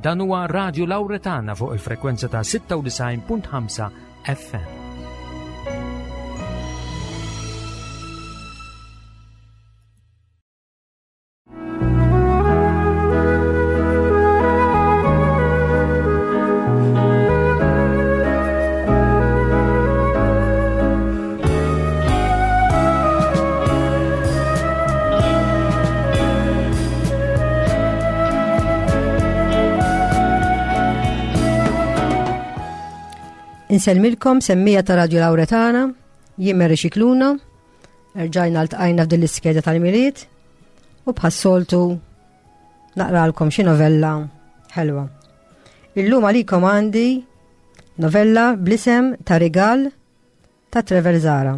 Dan huwa Radio Lauretana fuq il-frekwenza ta' 96.5 FM. Insellmilkom semmija ta' Radio Lauretana, jien Mary Xikluna, rġajna l-tqajna f'din l-iskeda tal-Milied u bħas-soltu naqralkom xi novella ħelwa. Illum għalikom għandi novella bl-isem ta' Rigal ta' Trevor Zara.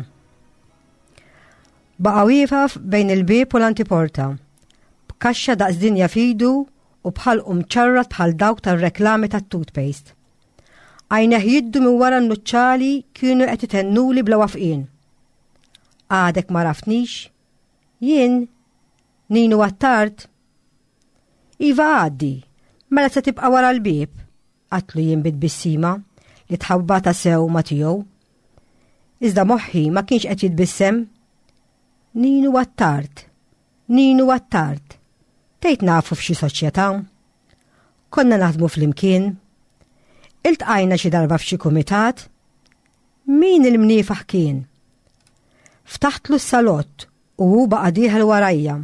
Baqa' wieqaf bejn il-bieb u l-antiporta, b'kaxxa daqs dinja f'idu u b'ħalqu mċarrat bħal dawk tar-reklami tat-toothpaste. Għajneh jiddu minn wara n-nuċċali kienu qed itennuli bla wafqien. Għadek ma raftnix? Jien Ninu Attard? Iva għaddi, mela se tibqa' wara l-bieb, għatlu jien bit-tbissima li tħabbata sew ma' tiegħu. Iżda moħħi ma kienx qed jitbissem. Ninu Attard, Ninu Attard, tgħid nafu f'xi soċjetà? Konna naħdmu flimkien? Iltqajna xi darba f'xi kumitat? Min il-mniefaħ kien? Ftaħtlu s-salott u hu baqa' dieħel warajja,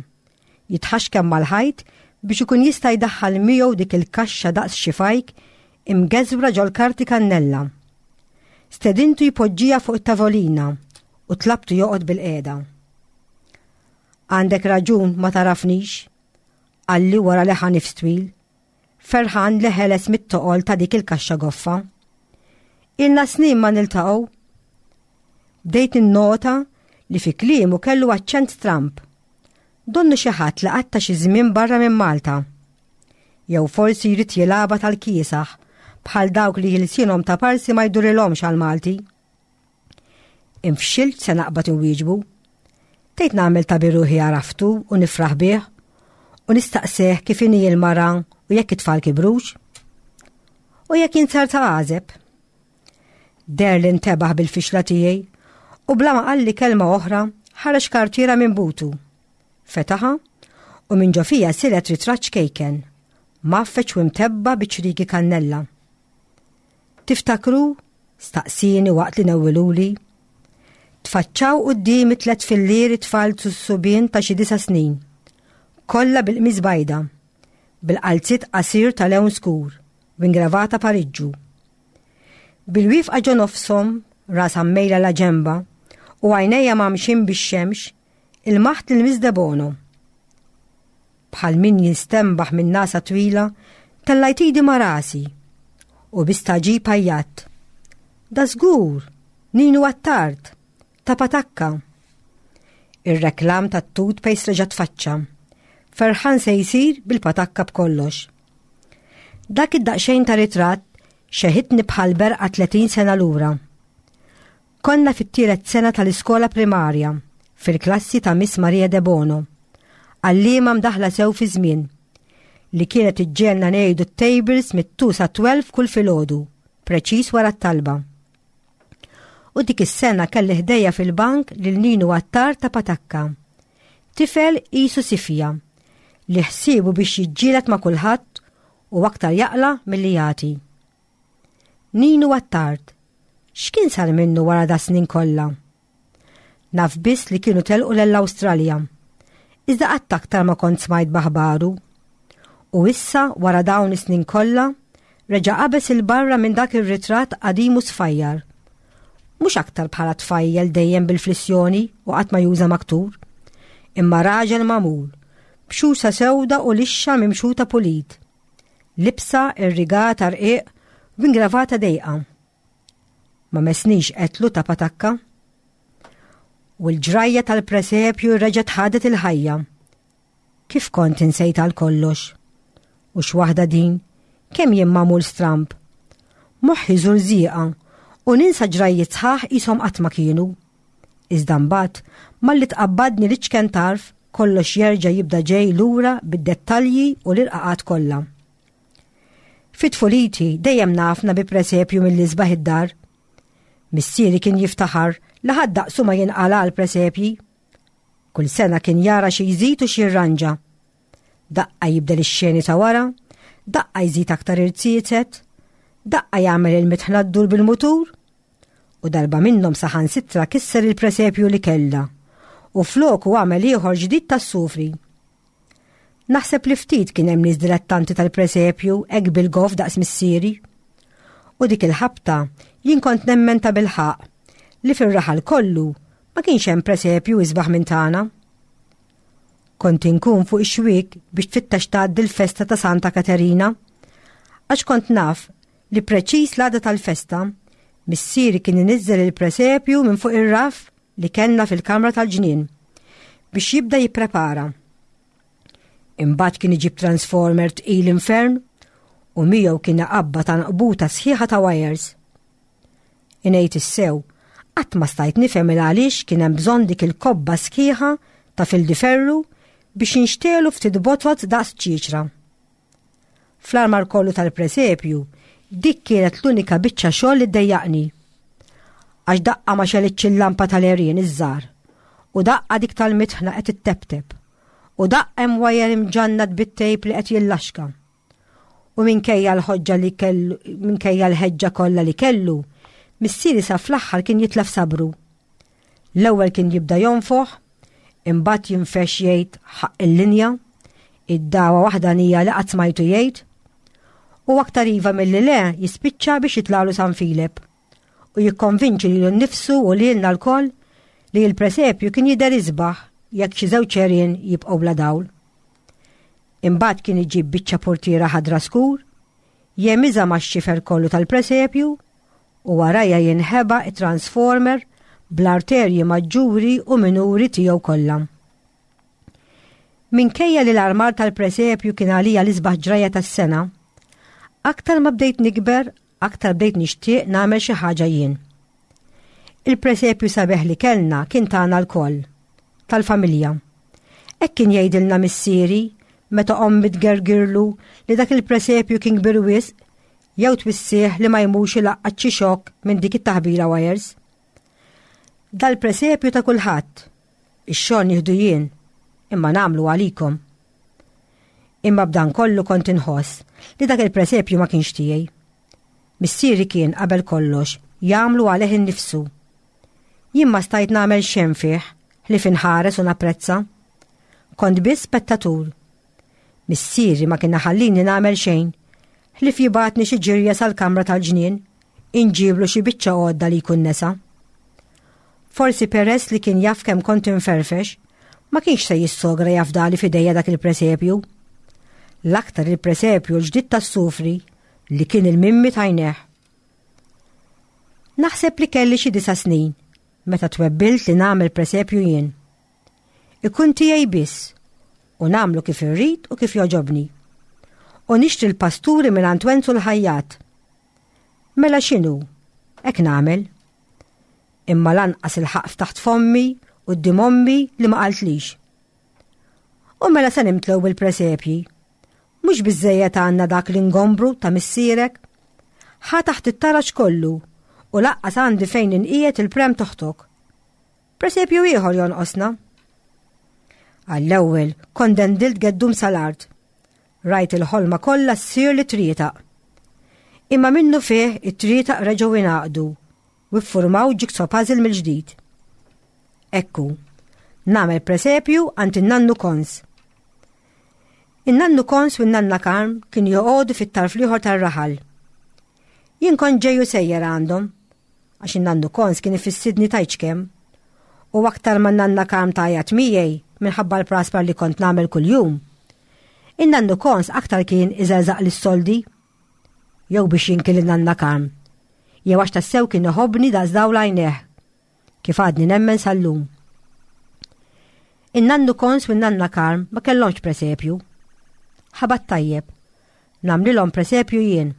jitħaxkem mal-ħajt biex ikun jista' jdaħħal miegħu dik il-kaxxa daqs xi fajk imgeżwra ġol-karti kannella. Stedintu jpoġġiha fuq it-tavolina u tlabtu joqgħod bilqiegħda. Għandek raġun ma tagħrafnix, qalli wara li ħa nifs twil, ferħan li ħeles mit-toqol ta' dik il-kaxxa goffa. Ilna snin ma niltaqgħu. Bdejt ninnota li fi kliemu kellu aċċent stramb. Donnu xi ħadd li qatta' xi żmien barra minn Malta. Jew forsi jrid jilgħabha tal-kiesaħ bħal dawk li ħilsienhom ta' parsi ma jdurilhomx għall-Malti. Infxilt se naqbad inwieġbu. Tgħid nagħmel ta' biruħi għaraftu u nifraħ bih u nistaqseh kif inhi l-mara u jekk it-tfal kibrux. U jekk jinsar ta' għażeb. Deher li ntebaħ bil-fixla tiegħi u bla ma qalli kelma oħra ħareġ kartiera minn butu. Fetaħa u minn ġo fija silet ritratt ċkejken, mgħaffeġ u mtebba' bi ċrieki kannella. Tiftakru? staqsieni waqt li newwiluli. Tfaċċaw quddiemi tlett fillieri tfal subien ta' xi disa' snin, kollha bil-qmis bajda, bil-qalziet qasir ta' lewn skur u ingravata pariġġu. Bil-wifqa ġo nofshom, rasha mmejla la ġenba u għajnejja mgħammxin bix-xemx, ilmaħt lil Miss Debono. Bħal min jistenbaħ minn nagħsa twila, tellajt idi ma' rasi u bi stagħġib għajjatt. Da żgur! Ninu Attard! Ta' patakka! Ir-reklam tat-toothpaste reġa' tfaċċa. Ferħan se jsir bil-patakka b'kollox. Dak id-daqsxejn ta' ritratt xeħitni bħal berqa 30 sena lura. Konna fit-tielet sena tal-iskola primarja, fil-klassi ta' Miss Maria Debono, għalliema mdaħla sew fi żmien, li kienet iġġiegħelna ngħidu t-tables mit-2 sa 12 kull filgħodu, preċiż wara t-talba. U dik is-sena kelli ħdejja fil-bank lil Ninu Attar ta' Patakka. Tifel qisu sifja, li ħsiebu biex jiġġieled ma' kulħadd u aktar jaqla' milli jagħti. Ninu Attard, x'kien sar minnu wara da snin kollha? Naf biss li kienu telqu lell-Awstralja. Iżda qatt aktar ma kont smajt b'aħbaru. U issa wara dawn is-snin kollha, reġa' qabeż 'il barra minn dak ir-ritratt qadim u sfajjar. Mhux aktar bħala tfajjel dejjem bil-flissjoni u qatt ma juża maktur, imma raġel magħmul, b'xusa sewda u lixxa mimxuta pulit, libsa irrigata rqiq u ingravata dejqa. Ma messnix qetlu ta' patakka. U l-ġrajja tal-presepju reġgħet ħadet il-ħajja. Kif kont insejt għal kollox. U x'waħda din, kemm jien magħmul stramb. Moħħi żurżieqa u ninsa ġrajjiet sħaħ qishom qatt ma kienu. Iżda mbagħad, malli tqabbadni l-iċken tarf, kollox jerġa' jibda ġej lura bid-dettalji u l-irqaqat kollha. Fi tfuliti dejjem nafna bi presepju mill-isbaħ id-dar. Missieri kien jiftaħar li ħadd daqsu ma jinqala għal presepji. Kull sena kien jara xi jżid u xi jirranġa. Daqqa jibdel ix-xeni ta' wara, daqqa jżid aktar irziezet, daqqa jagħmel il-mitħna ddur bil-mutur, u darba minnhom saħansitra kisser il-presepju li kellha u floku għamel ieħor ġdid tas-sufri. Naħseb li ftit kien hemm nies dilettanti tal-presepju hekk bil-goff daqs missieri. U dik il-ħabta jien kont nemmen ta' bilħaq li fir-raħal kollu ma kienx hemm presepju isbaħ minn tagħna. Kont inkun fuq ix-xwiek biex tfittex tgħaddi l-festa ta' Santa Katerina, għax kont naf li preċiż l-għada tal-festa, missieri kien iniżżel il-presepju minn fuq ir-raff li kellna fil-kamra tal-ġnien biex jibda jipprepara. Imbagħad kien iġib transformer tqil infern u miegħu kien iqabba ta' nqbuta sħiħa ta' wires. Ingħid is-sew, qatt ma stajt nifhem il għaliex kien hemm bżonn dik il-kobba sħiħa ta' fildiferru biex jinxtelu ftit botot daqs ċiċra. Fl-armar kollu tal-presepju, dik kienet l-unika biċċa xogħol li ddejjaqni. Għax daqqa ma xelitx il-lampa tal-għerien iż-żgħar, u daqqa dik tal-mitħna qed itteptep, u daqqa hemm wajer imġannat bit-tejp li qed jillaxka. U minkejja l-ħoġġa li kellu, minkejja l-ħeġġa kollha li kellu, missieri sa fl-aħħar kien jitlef sabru. L-ewwel kien jibda jonfoħ, imbagħad jinfex jgħid ħaqq il-linja, id-dagħwa waħdanija li qatt smajtu jgħid, u aktar iva milli le jispiċċa biex jitlagħlu San Filep u jikkonvinċi lilu nnifsu u lilna lkoll li l-presepju kien jidher isbaħ jekk xi żewġ għerien jibqgħu bla dawl. Imbagħad kien iġib biċċa portiera ħadra skur, jemiżha max-xifer kollu tal-presepju u warajja jinħeba t-transformer bl-arterji maġġuri u minuri tiegħu kollha. Minkejja li l-armar tal-presepju kien għalija l-isbaħ ġrajja tas-sena, aktar ma bdejt nikber, aktar bdejt nixtieq nagħmel xi ħaġa jien. Il-presepju sabiħ li kellna kien tagħna lkoll, tal-familja. Hekk kien jgħidilna missieri meta ommi tgergirlu li dak il-presepju kien kbir wisq jew twissih li ma jmurx ilaqqat xi xokk minn dik it-taħbila wires. Dal-presepju ta' kulħadd, ix-xogħol nieħdu jien, imma nagħmlu għalikom. Imma b'dan kollu kont inħoss li dak il-presepju ma kienx tiegħi. Missieri kien qabel kollox jagħmlu għalih innifsu. Jien ma stajt nagħmel xejn fih ħlief inħares u napprezza. Kont biss spettatur. Missieri ma kien iħallini nagħmel xejn, ħlief jibgħatni xi ġirja sal-kamra tal-ġnien, inġiblu xi biċċa għodda li jkun nesa. Forsi peress li kien jaf kemm kont inferfex, ma kienx se jissogra jafdali f'idejja dak il-presepju. L-aktar il-presepju l-ġdid tas-sufri li kien il-mimmi t'għajnejh. Naħseb li kelli xi disa' snin meta twebbilt li nagħmel presepju jien. Ikun tiegħi biss u nagħmlu kif irrid u kif jogħġobni. U nixtri l-pasturi mingħand Wenzu l-ħajjat. Mela x'inhu? Hekk nagħmel. Imma lanqas il-ħaqq ftaħt fommi quddiem ommi li ma qaltlix. U mela se nimtlew bil-presepji. Mhux biżżejjed għandna dak l-ingombru ta' missierek? Ħa taħt it-taraġ kollu u laqqas għandi fejn inqiegħed il-prem toħtok. Presepju ieħor jonqosna. Għall-ewwel kont dendilt geddum sal-art. Rajt il-ħolma kollha ssir li trietaq. Imma minnu fih it-trietaq reġgħu ingħaqdu u ffurmaw jigsaw puzzle mill-ġdid. Ekku, nagħmel presepju għand in-nannu Kons. In-nannu Kons u n-nanna Karm kienu joqogħdu fit-tarf l-ieħor tar-raħal. Jien kont ġej u sejjer għandhom għax in-nannu Kons kien ifissidni tgħidx kemm. U aktar ma n-nanna Karm tgħajjat miegħi minħabba l-praspar li kont nagħmel kuljum. In-nannu Kons aktar kien iżerżaq lis-soldi jew biex jinki lin-nanna Karm, jew għax tassew kien iħobbni daqs dawl għajnejh, kif għadni nemmen sal-lum. In-nannu Kons u n-nanna Karm ma kellhomx presepju. Ħabat tajjeb, nagħmlilhom presepju jien.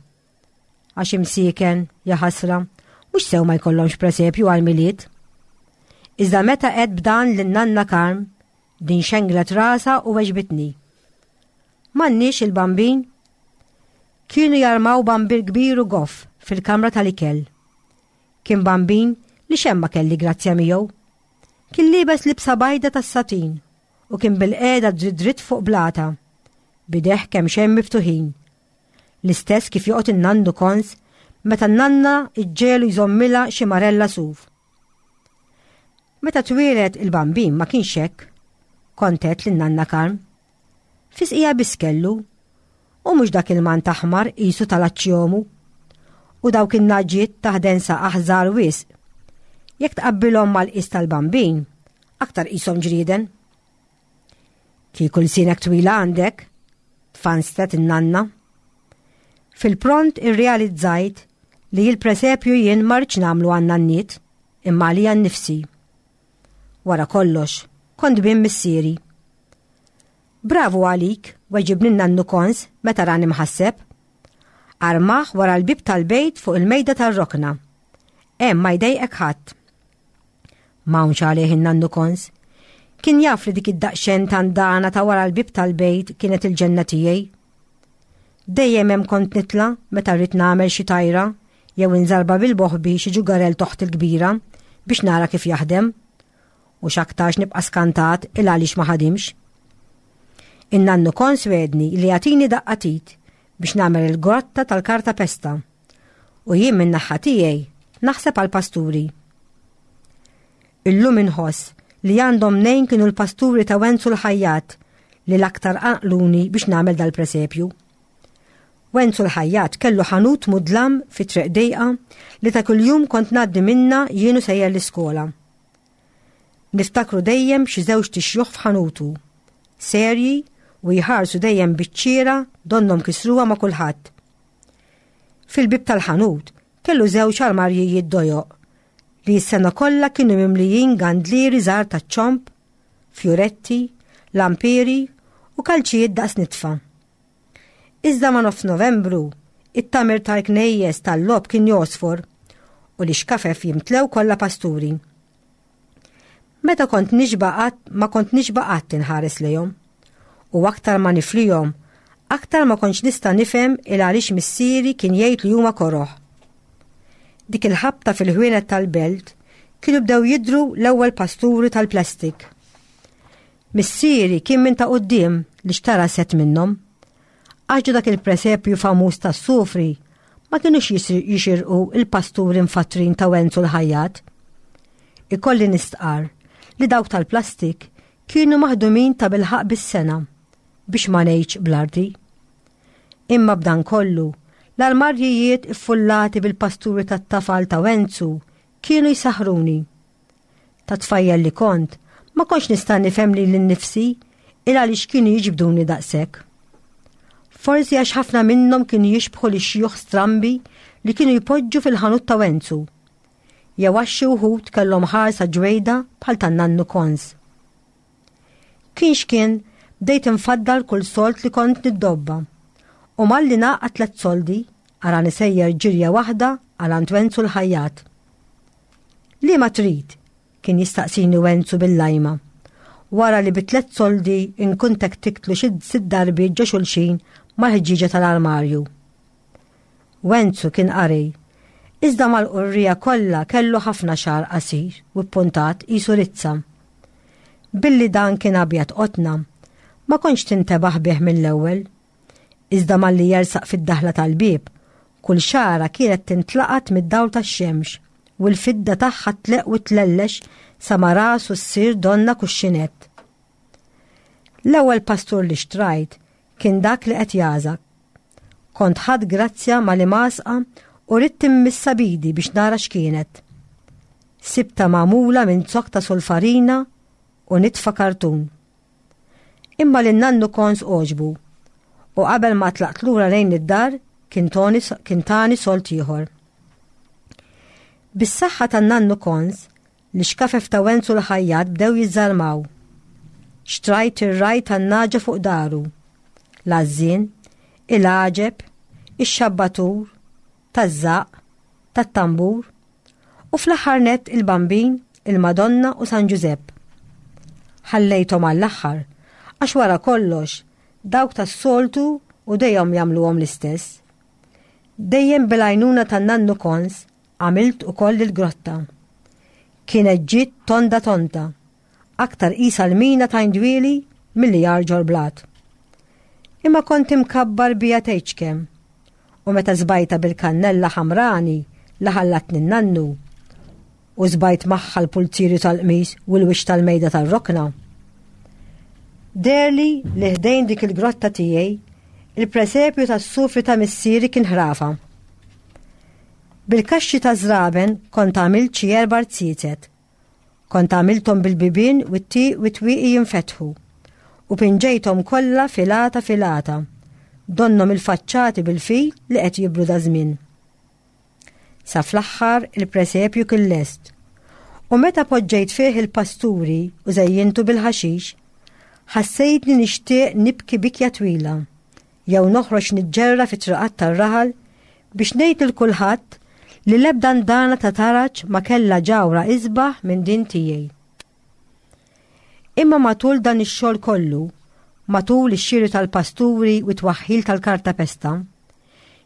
Għax imsieken, jaħasra, mhux sew ma jkollhomx presepju għall-Milied. Iżda meta għedt b'dan lin-nanna Karm, din xenglet rasha u weġbitni. M'għandniex il-Bambin? Kienu jarmaw bambir kbir u goff fil-kamra tal-ikel. Kien bambin li xemma kelli grazzja miegħu. Kien liebes libsa bajda tas-satin u kien bil-qiegħda dritt dritt fuq blata, b'idejh kemxejn miftuħin. L-istess kif joqgħod in-nannu Kons meta n-nanna ġġegħlu jżommilha xi marella suf. Meta twieled il-bambin ma kienx hekk, kont għedt lin-nanna Karm. Fisqija biss kellu, u mhux dak il-mant aħmar qisu tal-aċċjomu. U dawk in-naġġiet ta' ħdensa aħżar wisq. Jekk tqabbilhom mal-qis tal-bambin, aktar qishom ġrieden. Kieku lsienek twila għandek, tfanstet in-nanna. Fil-pront irrealizzajt li l-presepju jien ma rridx nagħmlu għan-nanniet, imma għalija nnifsi. Wara kollox, kont bin missieri. Bravu għalik, weġibni n-nannu Kons meta rani mħasseb. Armah wara l-bieb tal-bejt fuq il-mejda tar-rokna. Hemm ma jdejqek ħadd. M'hawnx għalih in-nannu Kons. Kien jaf li dik id-daqsxejn tandana ta' wara l-bieb tal-bejt kienet il-ġenna tiegħi. Dejjem hemm kont nitla' meta rrid nagħmel xi tajra jew inżarba bil-boħbi xi ġugarell toħti l-kbira biex nara kif jaħdem. U x'aktarx nibqa' skantat il għaliex ma ħadimx. In-nannu Kons wegħdni li jagħtini daqqa t'id biex nagħmel il-grotta tal-karta pesta. U jien min-naħa tiegħi naħseb għall-pasturi. Illum inħoss li għandhom mnejn kienu l-pasturi ta' Wenzu l-Ħajjat li l-aktar qanqluni biex nagħmel dal-presepju. Wenzu l-Ħajjat kellu ħanut mudlam fi triq dejqa li ta' kuljum kont ngħaddi minnha jien u sejjer l-iskola. Niftakru dejjem xi żewġt ixjuħ f'ħanutu, serji u jħarsu dejjem biċ-ċiera donnhom kisruha ma' kulħadd. Fil-bieb tal-ħanut kellu żewġ armarjijiet dojoq li s-sena kollha kienu mimlijin gandlieri żgħar taċ-ċomb, fjuretti, lampieri u kalċijiet daqs nitfa. Iżda ma' nofs Novembru, it-tagħmir tal-knejjes tal-logħob kien jogħsfor u l-ixkafef jimtlew kollha pasturi. Meta kont nixba' qatt ma kont nixba' qatt inħares lejhom. U aktar ma niflihom, aktar ma kontx nista' nifhem il għaliex missieri kien jgħid li huma koroh. Dik il-ħabta fil-ħwienet tal-belt kienu bdew jidhru l-ewwel pasturi tal-plastik. Missieri kien minn ta' quddiem li xtara sett minnhom. Għax ġo dak il-presepju famuż tas-sufri ma kinux jixirqu il-pasturi mfattrin ta' Wenzu l-ħajjat. Ikolli nistqarr li dawk tal-plastik kienu maħdumin ta' bilħaqq bis-sengħa, biex ma ngħidx bl-arti. Imma b'dan kollu, l-armarjijiet iffullati bil-pasturi tat-tafal ta' Wenzu kienu jsaħħruni. Ta' tfajjel li kont, ma kontx nista' nifhem lili nnifsi il għaliex kienu jiġbduni daqshekk. Forsi għax ħafna minnhom kienu jixbħu li xjuħ strambi li kienu jpoġġu fil-ħanut ta' Wenzu. Jew għax xi wħud kellhom ħarsa ġwejda bħal tan-nannu Kons. Kien x'kien, bdejt infaddal kull sold li kont niddobba. U malli nagħqad tlet soldi, arani sejjer ġirja waħda għal għand Wenzu l-ħajjat. Liema trid? kien jistaqsini Wenzu bil-lajma. Wara li bi tlett soldi nkun tektiktlu xi sitt darbiet ġo xulxin mal-ħġieġa tal-armarju. Wenzu kien qari, iżda mal-qurriegħa kollha kellu ħafna xagħar qasir u ppuntat qisu rizza. Billi dan kien abjad qotna, ma kontx tintebaħ bih mill-ewwel. Iżda malli jersaq fid-daħla tal-bieb, kull xagħra kienet tintlaqat mid-dawl tax-xemx u l-fidda tagħha tleqq u tlellex sa ma rasu ssir donnha kuxxinett. L-ewwel pastur li xtrajt kien dak li qed jagħżak. Kont ħadt grazzja mal-imgħasqa u ridt immissha b'idi biex nara x'kienet. Sibtha magħmula minn zokk ta' sulfarina u nitfa kartun. Imma lin nannu Kons għoġbu u qabel ma tlaqt lura lejn id-dar kien toni kien tani sold ieħor. Bis-saħħa tan-nannu Kons, l-ixkafef ta' Wenzu l-ħajjat bdew jiżżarmaw. Xtrajt ir-raj tan-nagħġa fuq daru, l-għażżien, il-għaġeb, ix-xabbatur, taż-żaqq, tat-tambur, u fl-aħħar nett il-Bambin, il-Madonna u San Ġużepp. Ħallejthom għall-aħħar għax wara kollox dawk tas-soltu u dejjem jagħmluhom l-istess. Dejjem bil-għajnuna tan-nannu Kons għamilt ukoll il-grotta. Kienet ġiet tonda tonda, aktar qisha l-mina ta' Indwieli milli għar ġol-blat. Imma kont imkabbar biha tgħidx kemm. U meta żbajtha bil-kannella ħamrani li ħallatni n-nannu, u żbajt magħha l-pulzieri tal-qmis u l-wiċċ tal-mejda tar-rokna. Deherli li ħdejn dik il-grotta tiegħi, il-presepju tas-sufri ta' missieri kien ħrafa. Bil-kaxxi ta' żraben kont għamilt xi erba' rziezet. Kont għamilthom bil-bibien u t-twieqi jinfetħu u pinġejthom kollha filata filata, donnhom il-faċċati bil-fil li qed jibru daż-żmien. Sa fl-aħħar il-presepju kien lest. U meta poġġejt fih il-pasturi u żejjintu bil-ħaxix, ħassejtni nixtieq nibki bikja twila, jew noħroġ niġġerra fit-triqat tar-raħal biex ngħid lil kulħadd li l-ebda ndana ta' taraġ ma kellha ġawhra isbaħ minn din tiegħi. Imma matul dan ix-xogħol kollu, matul ix-xiri tal-pasturi u t-twaħħil tal-kartapesta,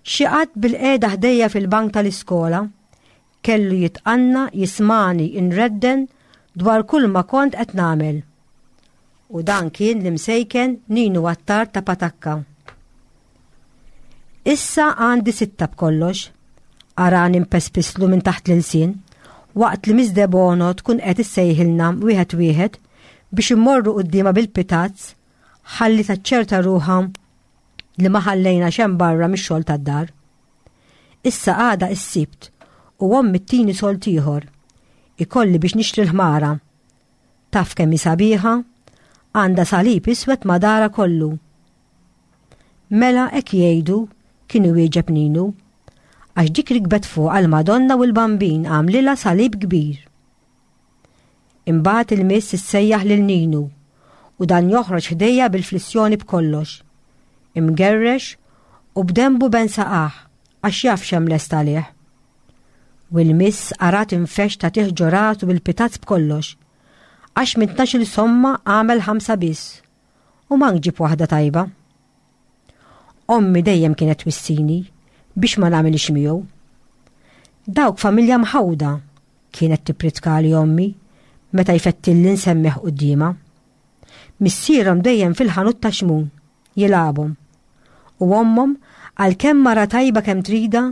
xi qatt bilqiegħda ħdejja fil-bank tal-iskola, kellu jitqanna jismagħni nredden dwar kull ma kont qed nagħmel. U dan kien l-imsejken Ninu Attard ta' Patakka. Issa għandi sitta b'kollox, arani mpespislu minn taħt l-ilsien, waqt li Miss Debono tkun qed issejħilna wieħed wieħed biex immorru quddiemha bil-pitazz ħalli taċċerta ruħha li ma ħallejna xejn barra mix-xogħol tad-dar. Issa għada is-Sibt u ommi ttini sold ieħor. Ikolli biex nixtri l-ħmara. Taf kemm hi sabiħa? Għandha salib iswed ma' darha kollu. Mela hekk jgħidu, kien iwieġeb Ninu. Għax dik rikbet fuqha l-Madonna u l-Bambin għamlilha salib kbir. Imbagħad il-miss issejjaħ lil Ninu u dan joħroġ ħdejja bil-flissjoni b'kollox. Imgerrex u b'denbu ben saqah għax jaf x'hemm lest għalih. U l-miss arat infexx tagħtih ġo rasu bil-pitazz b'kollox. Għax minn tnax-il somma għamel ħamsa biss. U mank ġib waħda tajba. Ommi dejjem kienet twissini biex ma nagħmilix miegħu. Dawk familja mħawda kienet tippritkali ommi meta jfettilli nsemmih quddiemha. Missierhom dejjem fil-ħanut ta' Xmun, jilgħabhom. U ommhom, għalkemm mara tajba kemm tridha,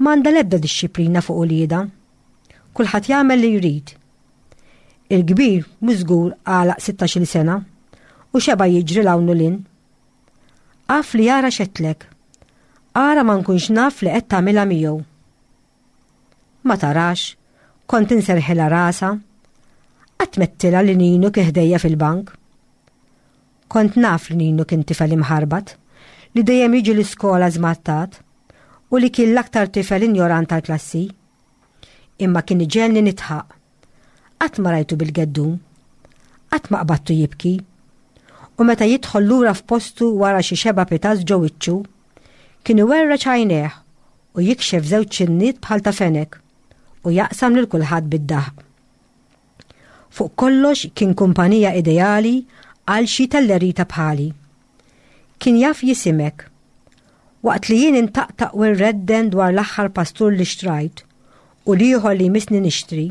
m'għandha l-ebda dixxiplina fuq uliedha. Kulħadd jagħmel li jrid. Il-kbir mhux żgur għalaq sittax-il sena u xeba' jiġri 'l hawn u 'l hinn. Af li ara x'għedtlek. Ara ma nkunx naf li qed tagħmilha miegħu. Ma tarax, kont inserħilha rasha. Qatt m'għedtilha li Ninu kien ħdejja fil-bank. Kont naf li Ninu kien tifel imħarbat, li dejjem jiġi l-iskola żmattat u li kien l-aktar tifel injorant tal-klassi. Imma kien iġegħelni nidħaq. Qatt ma rajtu bil-geddum. Qatt ma qbadtu jibki. U meta jidħol lura f'postu wara xi xeba' pitazz ġo wiċċu, kien iwerreġ għajnejh u jikxef żewġ ċinniet bħal ta' fenek u jaqsam lil kulħadd bid-daħq. Fuq kollox kien kumpanija ideali għal xi tellerita bħali. Kien jaf jisimek. Waqt li jien intaqtaq u nredden dwar l-aħħar pastur li xtrajt u l-ieħor li jmissni nixtri,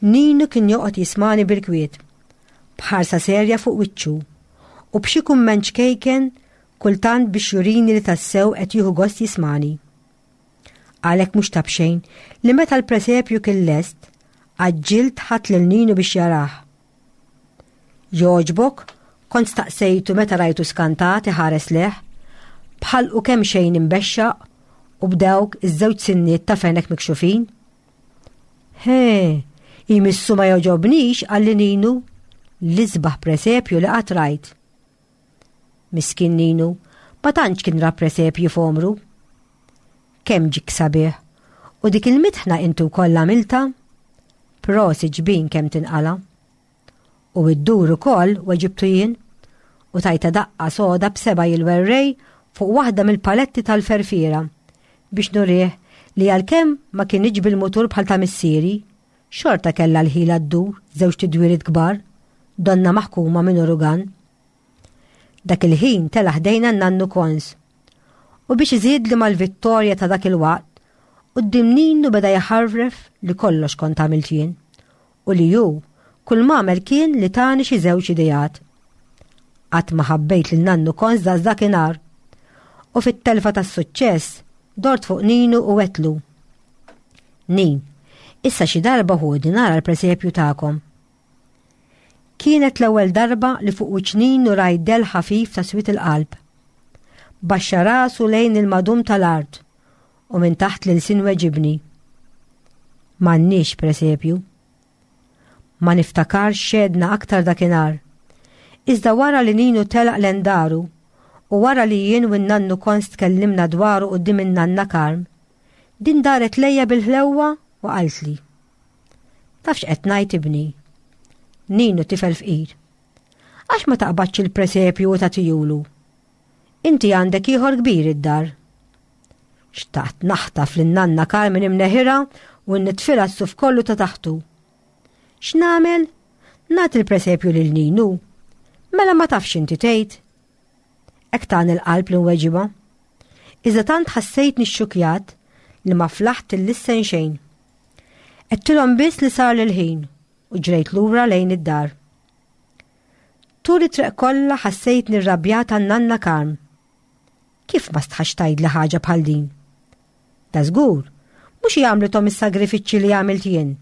Ninu kien joqgħod jismani bil-kwiet, b'ħarsa serja fuq wiċċu u b'xi kumment ċkejken kultant biex jurini li tassew qed jieħu gost jismani. Għalhekk mhux ta' b'xejn li meta l-presepju kien lest, għaġġilt ħadt lil Ninu biex jarah. Jogħġbok? Kont staqsejtu meta rajtu skantat iħares lejh, b'ħalqu kemxejn imbexxaq u b'dawk iż-żewġ sinniet ta' fenek mikxufin. He, jmissu ma jogħġobnix, qalli Ninu, l-isbaħ presepju li qatt rajt. Miskin Ninu, ma tantx kien ra presepji f'għomru. Kemm ġik sabiħ, u dik il-mitħna inti wkoll għamiltha? Prosit ġbin kemm tinqala'. U iddur ukoll, weġibtu jien, u tajtha daqqa soda b'seba' jilwerrej fuq waħda mill-paletti tal-ferfiera biex nurih li għalkemm ma kinitx bil-mutur bħal ta' missieri, xorta kellha l-ħila ddur żewġ tidwiriet kbar, donnha maħkuma minn urugan. Dak il-ħin tela' ħdejna n-nannu Kons. U biex iżidli mal-vittorja ta' dak il-waqt, quddiem Ninu beda jħarref li kollox kont għamilt jien u li hu kull m'għamel kien li tani xi żewġ ideat. Qatt ma ħabbejt lil nannu Kons daqs dakinhar. U fit-telfa tas-suċċess dort fuq Ninu u għedtlu. Nin, issa xi darba ħudi nara l-presepju tagħkom. Kienet l-ewwel darba li fuq wiċċ Ninu rajt dell ħafif ta' swied il-qalb. Baxxa rasu lejn il-madum tal-art u minn taħt l-ilsien weġibni. M'għandniex presepju. Ma niftakarx x'għedna aktar dakinhar. Iżda wara li Ninu telaq lejn daru u wara li jien u n-nannu Kons tkellimna dwaru quddiem in-nanna Karm, din daret lejja bil-ħlewwa u qaltli. Taf x'qed ngħid ibni? Ninu tifel fqir. Għax ma taqbadx il-presepju u tagħtihulu? Inti għandek ieħor kbir id-dar. Xtaqt naħtaf lin nanna Carmen imneħirha u nitfilha s-suf kollu ta' taħtu. X'nagħmel? Nagħti l-presepju lil Ninu. Mela ma tafx inti tgħid. Hekk tani l-qalb li nweġibha. Iżda tant ħassejtni xxukjat li ma flaħt illissen xejn. Għedtilhom biss li sar l-ħin u ġrejt lura lejn id-dar. Tul it-triq kollha ħassejtni rrabjat għan-nanna Karm. Kif ma stħax tgħidli ħaġa bħal din? Da żgur, mhux hi għamlithom is-sagrifiċċji li għamilt jien.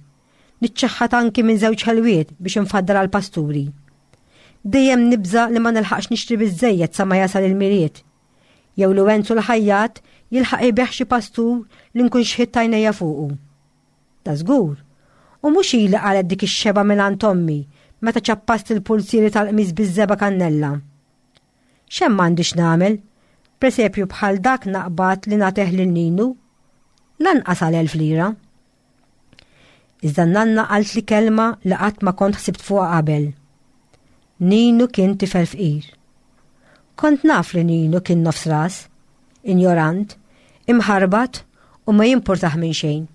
Niċċaħħad anki minn żewġ ħelwiet biex infaddal għall-pasturi. Dejjem nibża' li ma nilħaqx nixtri biżżejjed sa ma jasal il-Milied. Jew li Wenzu l-ħajjat jilħaq ibigħ xi pastur li nkun xħitt għajnejja fuqu. Da żgur. U mhux hi li qalgħet dik ix-xebgħa mingħand ommi meta ċappast il-pulzieri tal-qmis biż-żebgħa kannella. X'hemm għandi x'nagħmel? Presepju bħal dak naqbad li nagħtih lil Ninu? Lanqas għal 1000 lira. Iżda n-nanna qaltli kelma li qatt ma kont ħsibt fuqha qabel. Ninu kien tifel fqir. Kont naf li Ninu kien nofs ras, injorant, imħarbat u ma jimpurtah minn xejn.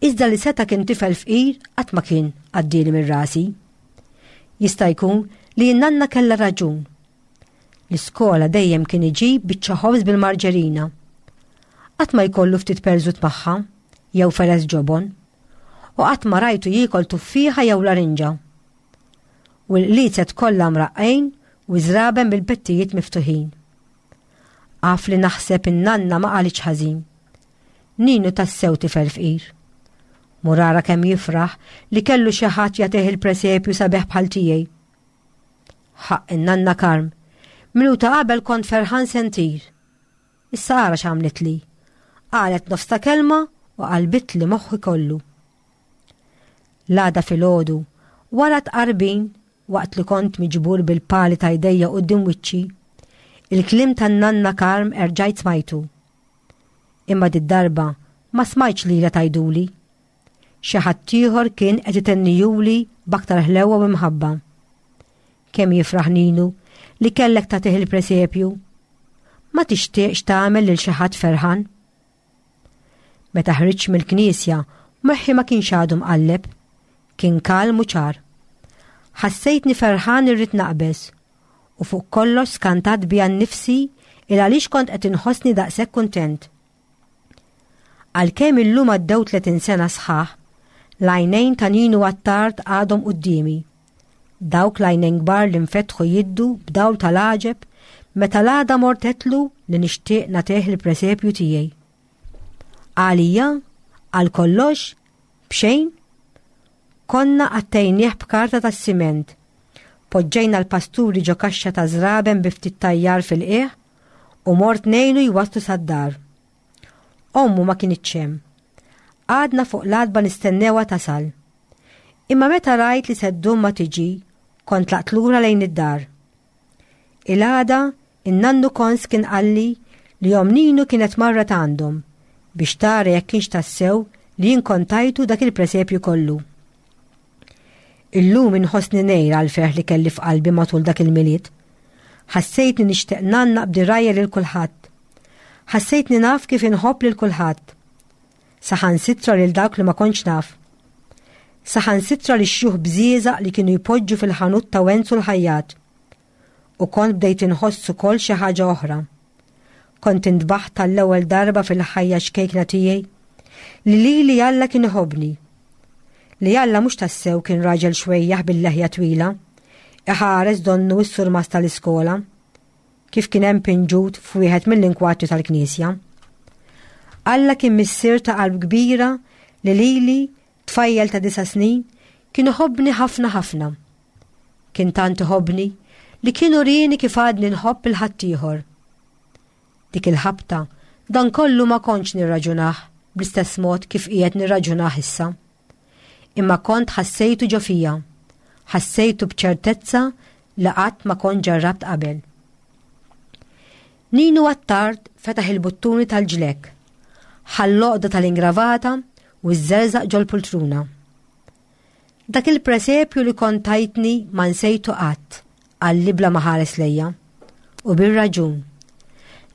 Iżda li seta' kien tifel fqir qatt ma kien għaddieli minn rasi. Jista' jkun li n-nanna kellha raġun. L-iskola dejjem kien iġib biċċa ħobż bil-marġerina. Qatt ma jkollu ftit perżut magħha jew feles ġobon. U qatt ma rajtu jiekol tuffieħa jew larinġa. U l-qliezet kollha mraqqgħin u ż-żraben bil-pettijiet miftuħin. Af li naħseb in-nanna ma qalitx ħażin. Ninu tassew tifel fqir. Mur ara kemm jifraħ li kellu xi ħadd jagħtih il-presepju sabiħ bħal tiegħi. Ħaqq in-nanna Karm. Minuta qabel kont ferħan se ntir. Issa ara x'għamlitli. Qalet nofs ta' kelma u qalbitli moħħi kollu. L-għada filgħodu, wara tqarbin, waqt li kont miġbur bil-pali ta' jdejja quddiem wiċċi, il-kliem tan-nanna Karm erġajt smajtu. Imma did-darba ma smajtx lilha tgħiduli. Xi ħaddieħor kien qed itennijuli b'aktar ħlewwa u imħabba. Kemm jifraħ Ninu li kellek tagħtih il-presepju. Ma tixtieqx tagħmel lil xi ħadd ferħan? Meta ħriġt mill-knisja, moħħi ma kienx għadu mqalleb. Kien kalm u ċar. Ħassejtni ferħan irrid naqbeż u fuq kollox skantat bija nnifsi il għaliex kont qed inħossni daqshekk kuntent. Għalkemm illum għaddew 30 sena sħaħ, l-għajnejn ta' Ninu Attard għadhom quddiemi. Dawk l-għajnejn kbar li nfetħu jiddu b'dawl tal-għaġeb meta l-għada mort għedtlu li nixtieq nagħtih il-presepju tiegħi. Għalija, għal kollox, b'xejn, konna għattejnieh b'karta tas-siment. Poġġejna l-pasturi ġo kaxxa ta' żraben bi ftit tajjar fil-qiegħ u mort ngħinu jwasslu sad-dar. Ommu ma kinitx hemm. Qgħadna fuq l-għatba nistennewha tasal. Imma meta rajt li se ddum ma tiġi, kont tlaqt lura lejn id-dar. Il-għada, in-nannu Kons kien qalli li omm Ninu kienet marret għandhom biex tara jekk kienx tassew li jien kont tajtu dak il-presepju kollu. Illum inħossni ngħir għall-ferħ li kelli f'qalbi matul dak il-Milied. Ħassejtni nixtieq ngħannaq b'dirgħajja lil kulħadd. Ħassejtni naf kif inħobb lil kulħadd. Saħansitra lil dawk li ma kontx naf. Saħansitra lix-xjuħ bżieżaq li kienu jpoġġu fil-ħanut ta' Wenzu l-ħajjat. U kont bdejt inħoss ukoll xi ħaġa oħra. Kont intbaħt għall-ewwel darba fil-ħajja xkejkna tiegħi li lili Alla kien iħobbni. Li Alla mhux tassew kien raġel xwejjaħ bil-leħja twila, iħares donnu s-surmast tal-iskola, kif kien hemm pinġut f'wieħed mill-inkwatri tal-knisja. Alla kien missier ta' qalb kbira li lili, tfajjel ta' disa' snin, kien iħobbni ħafna ħafna. Kien tant iħobbni li kien urieni kif għadni nħobb il-ħaddieħor. Dik il-ħabta, dan kollu ma kontx nirraġunah bl-istess mod kif qiegħed nirraġunah issa. Imma kont ħassejtu ġo fija, ħassejtu b'ċertezza li qatt ma kont ġarrabt qabel. Ninu Attard fetaħ il-buttuni tal-ġlekk, ħall-għoqda tal-ingravata u żżerżaq ġol-pultruna. Dak il-presepju li kont tajtni ma nsejtu qatt, qalli bla ma ħares lejja. U bir-raġun.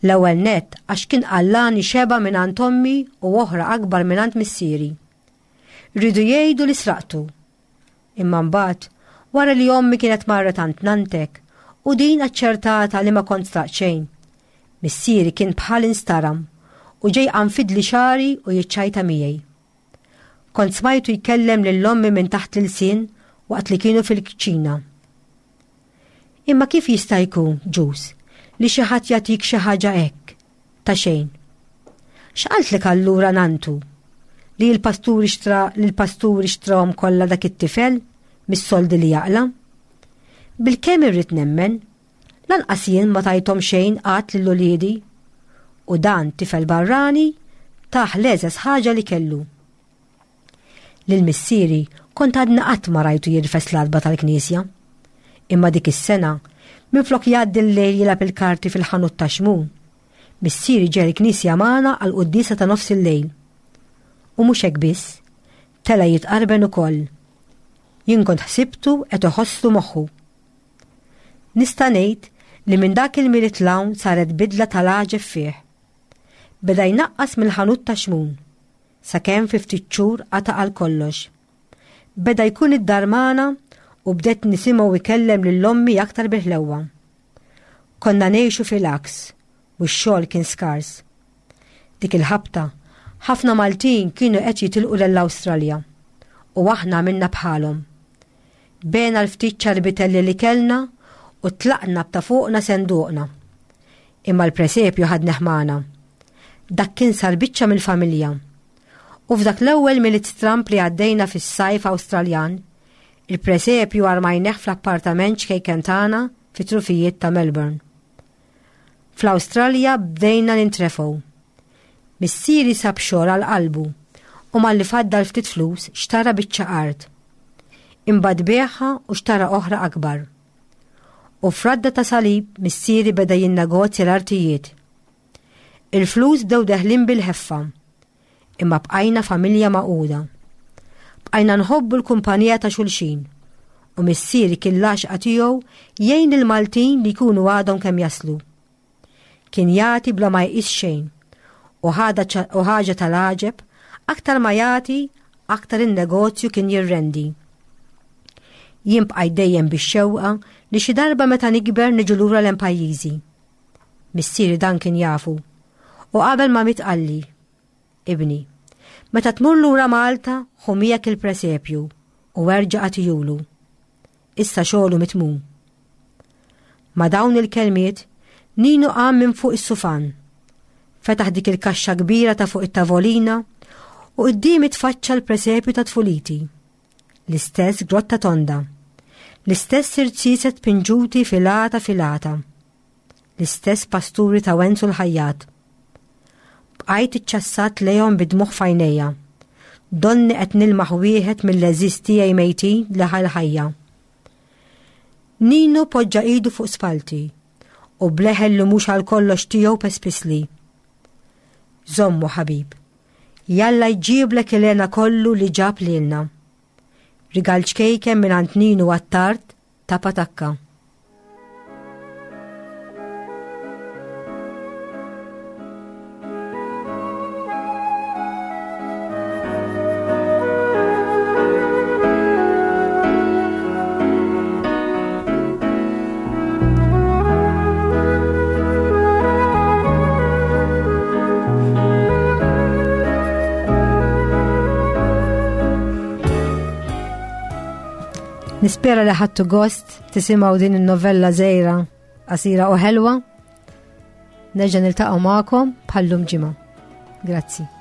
L-ewwel nett għax kien qallani xeba mingħand ommi u oħra akbar mingħand missieri. Riedu jgħidu li sraqtu. Imma mbagħad, wara li ommi kienet marret għand nantek u din aċċertata li ma kont sraqt xejn, missieri kien bħal instaram u ġej qanfidli xagħri u jiċċajta miegħi. Kont smajtu jkellem lil ommi minn taħt l-ilsien waqt li kienu fil-kċina. Imma kif jista' jkun, Ġus, li xi ħadd jagħtik xi ħaġa hekk, ta' xejn? X'qaltlek allura nantu? Li l-pasturi xtra li l-pasturi xtrahom kollha dak it-tifel mis-soldi li jaqla'? Bilkemm irrid nemmen, Lanqas jien ma tajthom xejn qatt lil uliedi. U dan tifel barrani tah l-egħżeż ħaġa li kellu. Lil missieri kont għadni qatt ma rajtu jirfes l-għatba tal-knisja. Imma dik is-sena, minflok jgħaddi l-lejl jilgħab il-karti fil-ħanut ta' Xmun, missieri ġej il-knisja magħna għall-quddiesa ta' nofs il-lejl. U mhux hekk biss, tela' jitqarben ukoll. Jien kont ħsibtu qed iħosslu moħħu. Nista' ngħid li minn dak il-Milied 'l hawn saret bidla tal-għaġeb fih. Beda jnaqqas mill-ħanut ta' Xmun, sakemm fi ftit xhur qata' għal kollox. Beda jkun id-dar magħna u bdejt nisimgħu jkellem lil ommi aktar bil-ħlewwa. Konna ngħixu fil-għaks u x-xogħol kien skars. Dik il-ħabta, ħafna Maltin kienu qed jitilqu lell-Awstralja u aħna għamilna bħalhom. Bena l-ftit ċarbitelli li kellna u tlaqna b'ta' fuqna senduqna. Imma l-presepju ħadnih magħna. Dak kien sar biċċa mill-familja. U f'dak l-ewwel Milied stramb li għaddejna fis-sajf Awstraljan, il-presepju armajneh fl-appartament ċkejken tagħna fit-trufijiet ta' Melbourne. Fl-Awstralja bdejna nintrefgħu. Missieri sab xogħol għal qalbu u malli faddal ftit flus xtara biċċa art. Imbagħad biegħha u xtara oħra akbar. U f'radda ta' salib missieri beda jinnegozja l-artijiet. Il-flus bdew deħlin bil-ħeffa. Imma bqajna familja magħquda. Bqajna nħobbu l-kumpanija ta' xulxin u missieri kien l-għaxqa tiegħu jgħin lill-Maltin li jkunu għadhom kemm jaslu. Kien jagħti bla ma jqis xejn u ħaġa tal-għaġeb, aktar ma jagħti, aktar in-negozju kien jirrendi. Jien bqajt dejjem bix-xewqa li xi darba meta nikber niġu lura lejn pajjiżi. Missieri dan kien jafu. U qabel ma miet qalli, Ibni, meta tmur lura Malta ħu miegħek il-presepju u erġa' agħtihulu. Issa xogħlu mitmum. Ma' dawn il-kelmiet, Ninu qam minn fuq is-sufan. Fetaħ dik il-kaxxa kbira ta' fuq it-tavolina u quddiemi tfaċċa l-presepju ta' tfuliti. L-istess grotta tonda. L-istess irziezet pinġuti filata filata. L-istess pasturi ta' Wenzu l-ħajjat. Bqajt iċċassat lejhom bid-dmugħ f'għajnejja. Donni qed nilmaħ wieħed mill-għeżież tiegħi mejtin li ħa l-ħajja. Ninu poġġa idu fuq spalti u bleħel li mhux għal kollox tiegħu pespisli. Żommu ħabib. Jalla jġiblek il-hena kollu li ġab lilna. Rigal ċkejken mingħand Ninu Attard ta' Patakka. Nispera li ħadtu gost tisimgħu din in-novella żgħira qasira u ħelwa. Nerġa' niltaqgħu magħkom bħallum ġimgħa. Grazzi.